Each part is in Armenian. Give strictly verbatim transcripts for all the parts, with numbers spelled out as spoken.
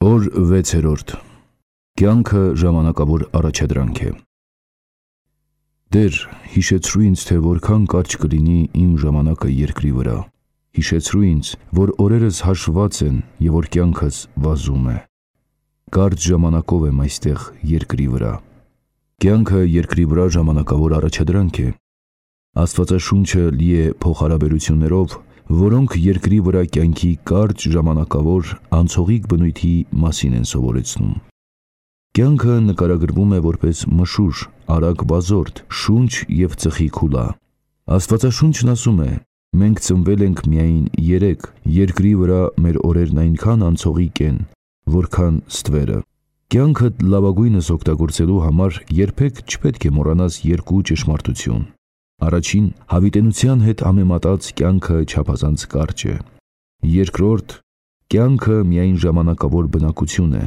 Օր վեցերորդ. Կյանքը ժամանակավոր առաջադրանք է։ Տեր, հիշեցրու ինձ, թե որքան կարճ կլինի իմ ժամանակը երկրի վրա։ Հիշեցրու ինձ, որ օրերս հաշված են և որ կյանքս վազում է։ Կարճ ժամանակով եմ այստեղ երկրի վրա։ Կյանքը երկրի վրա ժամանակավոր առաջադրանք է։ Աստվածաշունչը լի է փոխհարաբերություններով, որոնք երկրի վրա կյանքի կարճ ժամանակավոր անցողիկ բնույթի մասին են սովորեցնում։ Կյանքը նկարագրվում է որպես մշուշ, արագ վազորդ, շունչ և ծխի քուլա։ Աստվածաշունչն ասում է. մենք ծնվել ենք միայն երեկ, երկրի վրա մեր օրերն այնքան անցողիկ են, որքան ստվերը։ Կյանքդ լավագույնս օգտագործելու համար երբեք չպետք է մոռանաս երկու ճշմարտություն։ Առաջին, հավիտենության հետ համեմատած կյանքը չափազանց կարճ է։ Երկրորդ, կյանքը միայն ժամանակավոր բնակություն է։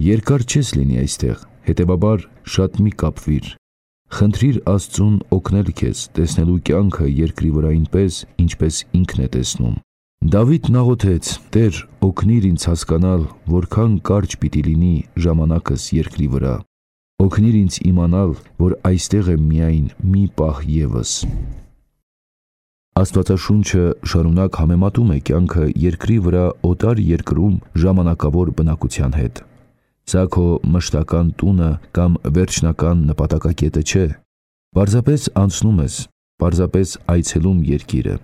Երկար չես լինի այստեղ, հետևաբար շատ մի կապվիր։ Խնդրիր Աստծուն օգնել քեզ տեսնելու կյանքը երկրի վրա այնպես, ինչպես ինքն է տեսնում։ Դավիթն աղոթեց. Տեր, օգնիր ինձ հասկանալ, որքան կարճ պիտի լինի ժամանակս երկրի վրա։ Օգնիր ինձ իմանալ, որ այստեղ եմ միայն մի պահ ևս։ Աստվածաշունչը շարունակ համեմատում է կյանքը երկրի վրա օտար երկրում ժամանակավոր բնակության հետ։ Սա քո մշտական տունը կամ վերջնական նպատակակետը չէ։ Պարզապես անցնում ես, պարզապես այցելում երկիրը։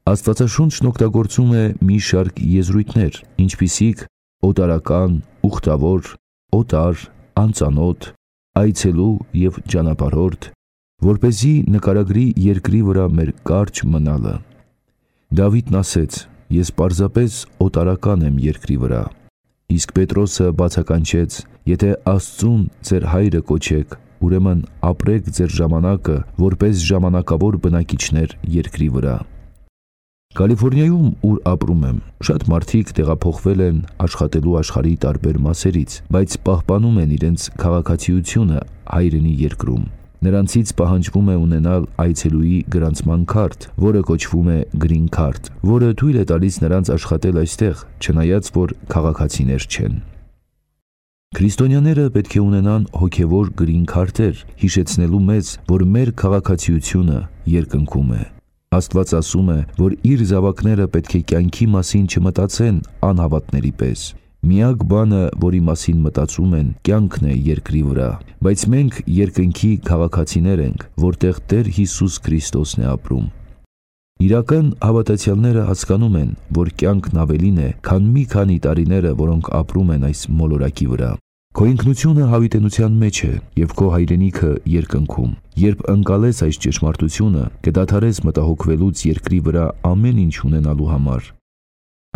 Աստվածաշունչն օգտագործում է մի շարք եզրույթներ, ինչպիսիք օտարական, ուխտավոր, օտար, անծանոթ, այցելու և ճանապարհորդ, որպեսզի նկարագրի երկրի վրա մեր կարճ մնալը։ Դավիթն ասեց. ես պարզապես օտարական եմ երկրի վրա։ Իսկ Պետրոսը բացականչեց. եթե Աստծուն ձեր հայրը կոչեք, ուրեմն ապրեք ձեր ժամանակը որպես ժամանակավոր բնակիչներ երկրի վրա։ Կալիֆոռնիայում, ուր ապրում եմ, շատ մարդիկ տեղափոխվել են աշխատելու աշխարհի տարբեր մասերից, բայց պահպանում են իրենց քաղաքացիությունը հայրենի երկրում։ Նրանցից պահանջվում է ունենալ այցելուի գրանցման քարտ, որը կոչվում է Green Card, որը թույլ է տալիս նրանց աշխատել այստեղ, չնայած որ քաղաքացիներ չեն։ Քրիստոնյաները պետք է ունենան հոգևոր Green Card-եր, հիշեցնելու մեզ, որ մեր քաղաքացիությունը երկնքում է։ Աստված ասում է, որ իր զավակները պետք է կյանքի մասին չմտածեն անհավատների պես։ Միակ բանը, որի մասին մտածում են, կյանքն է երկրի վրա, բայց մենք երկնքի քաղաքացիներ ենք, որտեղ Տեր Հիսուս Քրիստոսն է ապրում։ Իրական հավատացյալները հասկանում են, որ կյանքն ավելին է, քան մի քանի տարիները, որոնք ապրում են այս մոլորակի վրա։ Քո ինքնությունը հավիտենության մեջ է և քո հայրենիքը երկնքում։ Երբ ընկալես այս ճշմարտությունը, կդադարես մտահոգվելուց երկրի վրա ամեն ինչ ունենալու համար։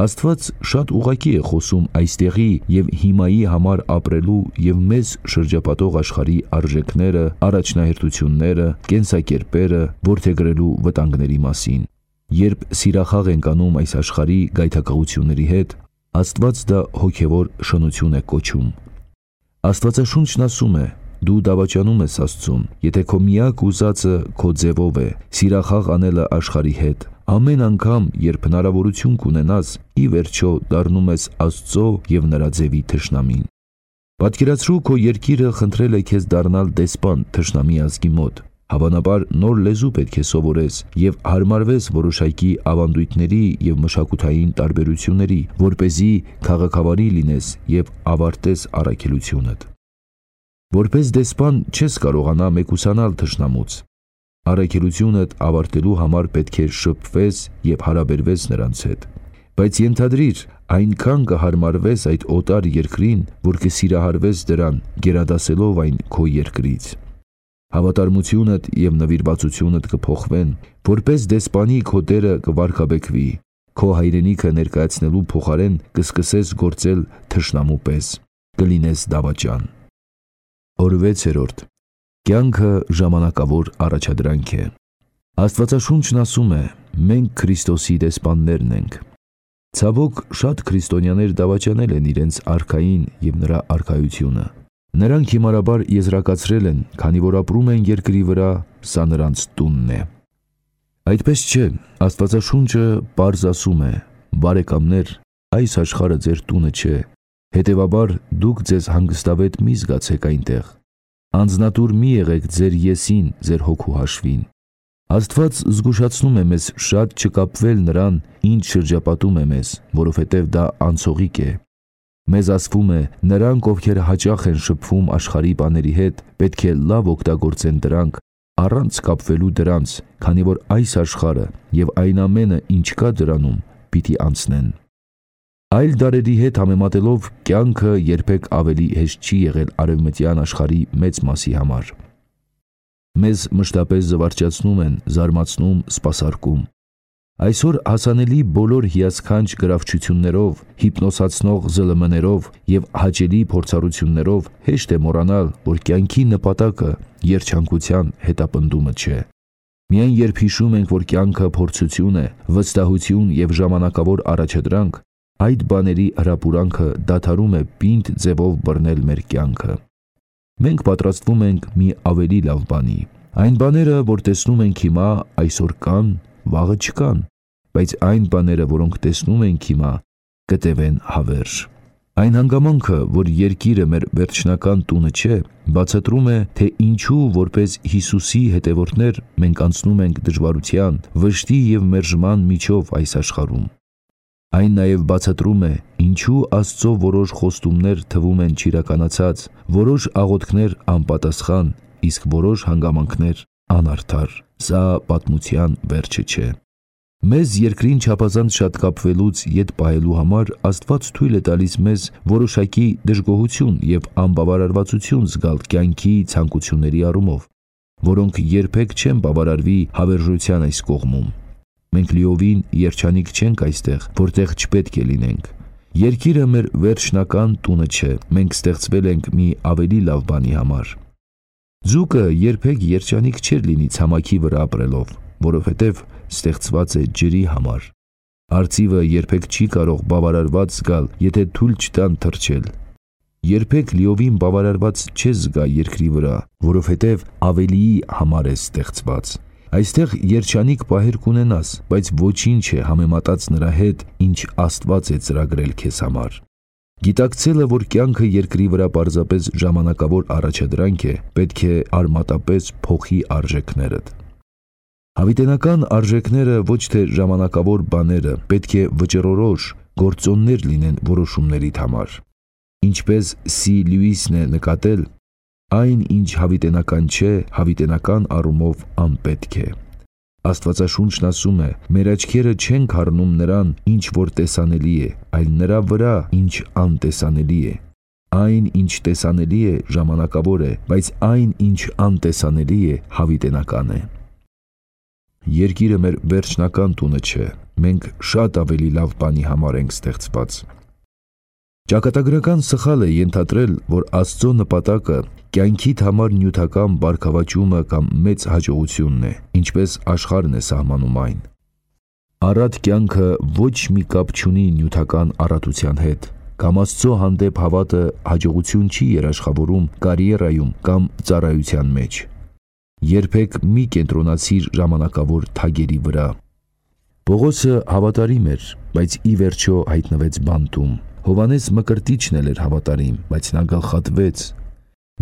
Աստված շատ ուղղակի է խոսում այստեղի և հիմայի համար ապրելու և մեզ շրջապատող աշխարհի արժեքները, առաջնահերթությունները, կենսակերպերը որդեգրելու վտանգների մասին։ Երբ սիրախաղ ենք անում այս աշխարհի գայթակղությունների հետ, Աստված դա հոգևոր շնություն է կոչում։ Աստվածաշունչն ասում է. դու դավաճանում ես Աստծուն, եթե քո միակ ուզածը քո ձևով է, սիրախաղ անելը աշխարհի հետ։ Ամեն անգամ, երբ հնարավորություն կունենաս, ի վերջո դառնում ես Աստծո և նրա ձևի թշնամին։ Պատկերացրու, քո երկիրը խնդրել է քեզ դառնալ դեսպան թշնամի ազգի մոտ։ Հավանաբար նոր լեզու պետք է սովորես և հարմարվես որոշակի ավանդույթների և մշակութային տարբերությունների, որպեսզի քաղաքավարի լինես և ավարտես առաքելությունդ։ Որպես դեսպան չես կարողանա մեկուսանալ թշնամուց։ Առաքելությունդ ավարտելու համար պետք է շփվես և հարաբերվես նրանց հետ։ Բայց ենթադրիր, այնքան կհարմարվես այդ օտար երկրին, որ կսիրահարվես դրան, գերադասելով այն քո երկրից։ Հավատարմությունդ և նվիրվածությունդ կփոխվեն, որպես դեսպանի քո դերը կվարգաբեկվի, քո հայրենիքը ներկայացնելու փոխարեն կսկսես գործել թշնամու պես, կլինես դավաճան։ Օր վեցերորդ. Կյանքը ժամանակավոր առաջադրանք է։ Աստվածաշունչն ասում է. մենք Քրիստոսի դեսպաններն ենք։ Ցավոք, շատ քրիստոնյաներ դավաճանել են իրենց արքային և նրա արքայությունը։ Նրանք հիմարաբար եզրակացրել են, քանի որ ապրում են երկրի վրա, սա նրանց տունն է։ Այդպես չէ, Աստվածաշունչը պարզ ասում է. բարեկամներ, այս աշխարհը ձեր տունը չէ, Հետևաբար դուք ձեզ հանգստավետ մի զգացեք այնտեղ։ Անձնատուր մի եղեք ձեր եսին, ձեր հոգու հաշվին։ Աստված զգուշացնում է մեզ շատ չկապվել նրան, ինչ շրջապատում է մեզ, որովհետև դա անցողիկ է։ Մեզ ասվում է, նրանք, ովքեր հաճախ են շփվում աշխարհի բաների հետ, պետք է լավ օգտագործեն դրանք, առանց կապվելու դրանց, քանի որ այս աշխարհը եւ այն ամենը, ինչ կա դրանում, պիտի անցնեն։ Այլ դարերի հետ համեմատելով կյանքը երբեք ավելի հեշտ չի եղել արևմտյան աշխարհի մեծ մասի համար։ Մեզ մշտապես զվարճացնում են, զարմացնում, սպասարկում։ Այսօր հասանելի բոլոր հիասքանչ գրավչություններով, հիպնոսացնող զլ էմ էներով եւ հաճելի փորձառություններով հեշտ է մոռանալ, որ կյանքի նպատակը երջանկության հետապնդումը չէ։ Միայն երբ հիշում ենք, որ կյանքը փորձություն է, վստահություն եւ ժամանակավոր առաջադրանք, այդ բաների հրապուրանքը դադարում է պինդ ձևով բռնել մեր կյանքը։ Մենք պատրաստվում ենք մի ավելի լավ բանի։ Այն բաները, որ տեսնում ենք հիմա, այսօր կան, վաղը չկան, բայց այն բաները, որոնք տեսնում ենք հիմա, կտևեն հավերժ։ Այն հանգամանքը, որ երկիրը մեր վերջնական տունը չէ, բացատրում է, թե ինչու որպես Հիսուսի հետևորդներ մենք անցնում ենք դժվարության, վշտի եւ մերժման միջով այս աշխարհում։ Այն նաև բացատրում է, ինչու Աստծո որոշ խոստումներ թվում են չիրականացած, որոշ աղոթքներ անպատասխան, իսկ որոշ հանգամանքներ անարդար։ Սա պատմության վերջը չէ։ Մեզ երկրին չափազանց շատ կապվելուց ետ պահելու համար Աստված թույլ է տալիս մեզ որոշակի դժգոհություն եւ անբավարարվածություն զգալ կյանքի ցանկությունների առումով, որոնք երբեք չեն բավարարվի հավերժության այս կողմում։ Մենք լիովին երջանիկ չենք այստեղ, որտեղ չպետք է լինենք։ Երկիրը մեր վերջնական տունը չէ, մենք ստեղծվել ենք մի ավելի լավ բանի համար։ Ձուկը երբեք երջանիկ չէր լինի ցամաքի վրա ապրելով, որովհետև ստեղծված է ջրի համար։ Արծիվը երբեք չի կարող բավարարված զգալ, եթե թույլ չտան թռչել։ Երբեք լիովին բավարարված չես զգա երկրի վրա, որովհետև ավելիի համար է ստեղծված։ Այստեղ երջանիկ պահեր կունենաս, բայց ոչինչ է համեմատած նրա հետ, ինչ Աստված է ծրագրել քեզ համար։ Գիտակցելը, որ կյանքը երկրի վրա պարզապես ժամանակավոր առաջադրանք է, պետք է արմատապես փոխի արժեքներդ։ Հավիտենական արժեքները ոչ թե ժամանակավոր բաները, պետք է վճռորոշ գործոններ լինեն որոշումներիդ համար։ Ինչպես Սի Լյուիսն է նկատել, այն, ինչ հավիտենական չէ, հավիտենական առումով անպետք է։ Աստվածաշունչն ասում է. մեր աչքերը չեն խառնում նրան, ինչ որ տեսանելի է, այլ նրա վրա, ինչ անտեսանելի է։ Այն, ինչ տեսանելի է, ժամանակավոր է, բայց այն, ինչ անտեսանելի է, հավիտենական է։ Երկիրը մեր վերջնական տունը չէ, մենք շատ ավելի լավ բանի համար ենք ստեղծված։ Ճակատագրական սխալ է ենթադրել, որ Աստծո նպատակը կյանքիդ համար նյութական բարգավաճումը կամ մեծ հաջողությունն է, ինչպես աշխարհն է սահմանում այն։ Առատ կյանքը ոչ մի կապ չունի նյութական առատության հետ, կամ Աստծո հանդեպ հավատը հաջողություն չի երաշխավորում կարիերայում կամ ծառայության մեջ։ Երբեք մի կենտրոնացիր ժամանակավոր թագերի վրա։ Պողոսը հավատարիմ էր, բայց ի վերջո հայտնվեց բանտում։ Հովանես Մկրտիչն էլ էր հավատարիմ, բայց նա գլխատվեց։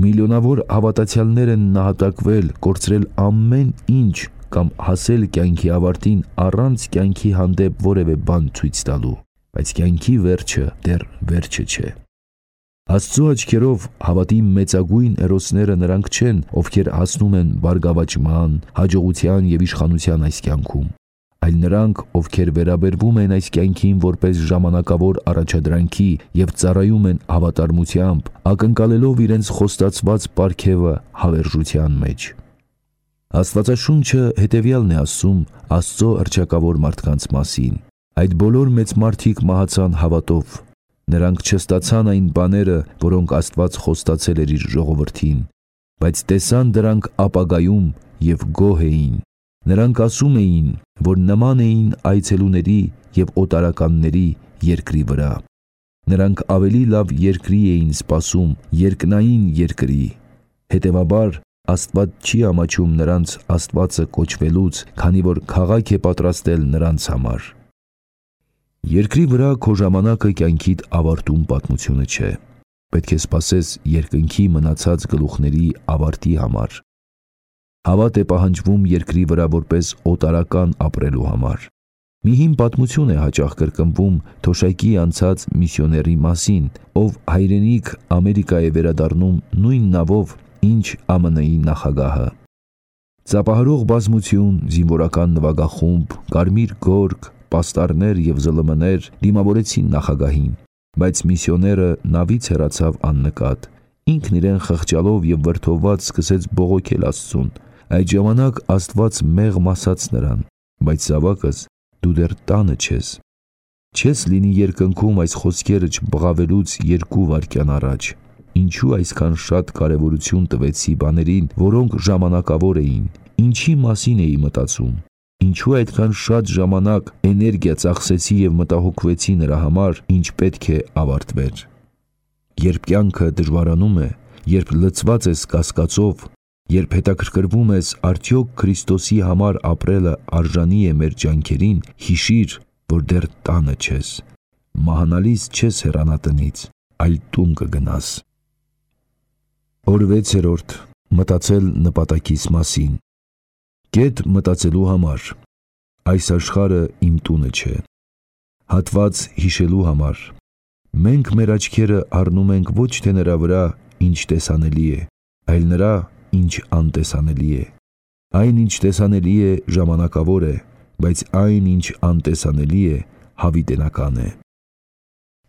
Միլիոնավոր հավատացյալներ են նահատակվել, կորցրել ամեն ինչ կամ հասել կյանքի ավարտին առանց կյանքի հանդեպ որևէ բան ցույց տալու, բայց կյանքի վերջը դեռ վերջը չէ։ Աստծո աչքերով հավատի մեծագույն հերոսները նրանք չեն, ովքեր հասնում են բարգավաճման, հաջողության եւ իշխանության այս կյանքում, այլ նրանք, ովքեր վերաբերվում են այս կյանքին որպես ժամանակավոր առաջադրանքի եւ ծառայում են հավատարմությամբ, ակնկալելով իրենց խոստացված պարգևը հավերժության մեջ։ Աստվածաշունչը հետևյալն է ասում Աստծո հռչակավոր մարդկանց մասին. այդ բոլոր մեծ մարդիկ մահացան հավատով, նրանք չստացան այն բաները, որոնք Աստված խոստացել էր իր ժողովրդին, բայց տեսան դրանք ապագայում եւ գոհ էին։ Նրանք ասում էին, որ նման էին այցելուների եւ օտարականների երկրի վրա։ Նրանք ավելի լավ երկրի էին սպասում, երկնային երկրի։ Հետևաբար Աստված չի ամաչում նրանց Աստվածը կոչվելուց, քանի որ քաղաք է պատրաստել նրանց համար։ Երկրի վրա քո ժամանակը կյանքիդ ավարտում պատմությունը չէ։ Պետք է սպասես երկնքի մնացած գլուխների ավարտի համար։ Հավատ է պահանջվում երկրի վրա որպես օտարական ապրելու համար։ Մի հին պատմություն է հաճախ կրկնվում Թոշակի անցած միսիոների մասին, ով հայրենիք Ամերիկա է վերադառնում նույն նավով, ինչ Ամն Ի նախագահը։ Ծափահարող բազմություն, զինվորական նվագախումբ, կարմիր գորգ, պաստառներ և զլմ-ներ դիմավորեցին նախագահին, բայց միսիոները նավից հեռացավ աննկատ։ Ինքն իրեն խղճալով և վրդովված սկսեց բողոքել Աստծուն։ Այդ ժամանակ Աստված մեղմ ասաց նրան. «Բայց զավակս, դու դեռ տանը չես։ Չես լինի երկնքում այս խոսքերը չբղավելուց երկու վայրկյան առաջ։ Ինչու այսքան շատ կարևորություն տվեցի բաներին, որոնք ժամանակավոր էին, ինչի մասին էի մտածում։ Ինչու այդքան շատ ժամանակ, էներգիա ծախսեցի և մտահոգվեցի նրա համար, ինչ պետք է ավարտվեր։ Երբ կյանքը դժվարանում է, երբ լցված ես կասկածով, երբ հետաքրքրվում ես արդյոք Քրիստոսի համար ապրելը արժանի է մեր ջանքերին, հիշիր, որ դեռ տանը չես։ Մահանալիս չես հեռանա տնից, այլ տուն կգնաս»։ Օր վեցերորդ. Մտածել նպատակիս մասին։ Կետ մտածելու համար։ Այս աշխարհը իմ տունը չէ։ Հատված հիշելու համար։ Մենք մեր աչքերը առնում ենք ոչ թե նրա վրա, ինչ տեսանելի է, այլ նրա, ինչ անտեսանելի է։ Այն, ինչ տեսանելի է, ժամանակավոր է, բայց այն, ինչ անտեսանելի է, հավիտենական է։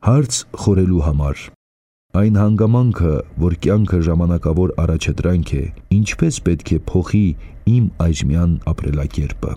Հարց խորելու համար։ Այն հանգամանքը, որ կյանքը ժամանակավոր առաջադրանք է, ինչպես պետք է փոխի իմ այժմյան ապրելակերպը։